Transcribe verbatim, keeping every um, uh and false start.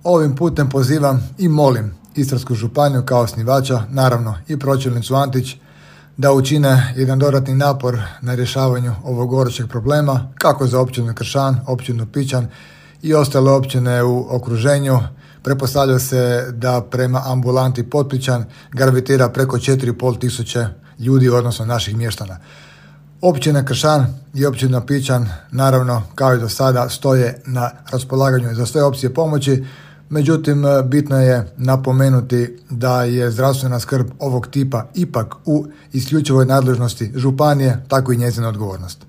Ovim putem pozivam i molim Istarsku županiju kao osnivača, naravno i pročelnicu Antić, da učine jedan dodatni napor na rješavanju ovog gorućeg problema, kako za općinu Kršan, općinu Pičan i ostale općine u okruženju. Pretpostavlja se da prema ambulanti Potpičan gravitira preko četiri i pol tisuće ljudi, odnosno naših mještana. Općina Kršan i općina Pičan, naravno, kao i do sada, stoje na raspolaganju za sve opcije pomoći. Međutim, bitno je napomenuti da je zdravstvena skrb ovog tipa ipak u isključivoj nadležnosti županije, tako i njezina odgovornost.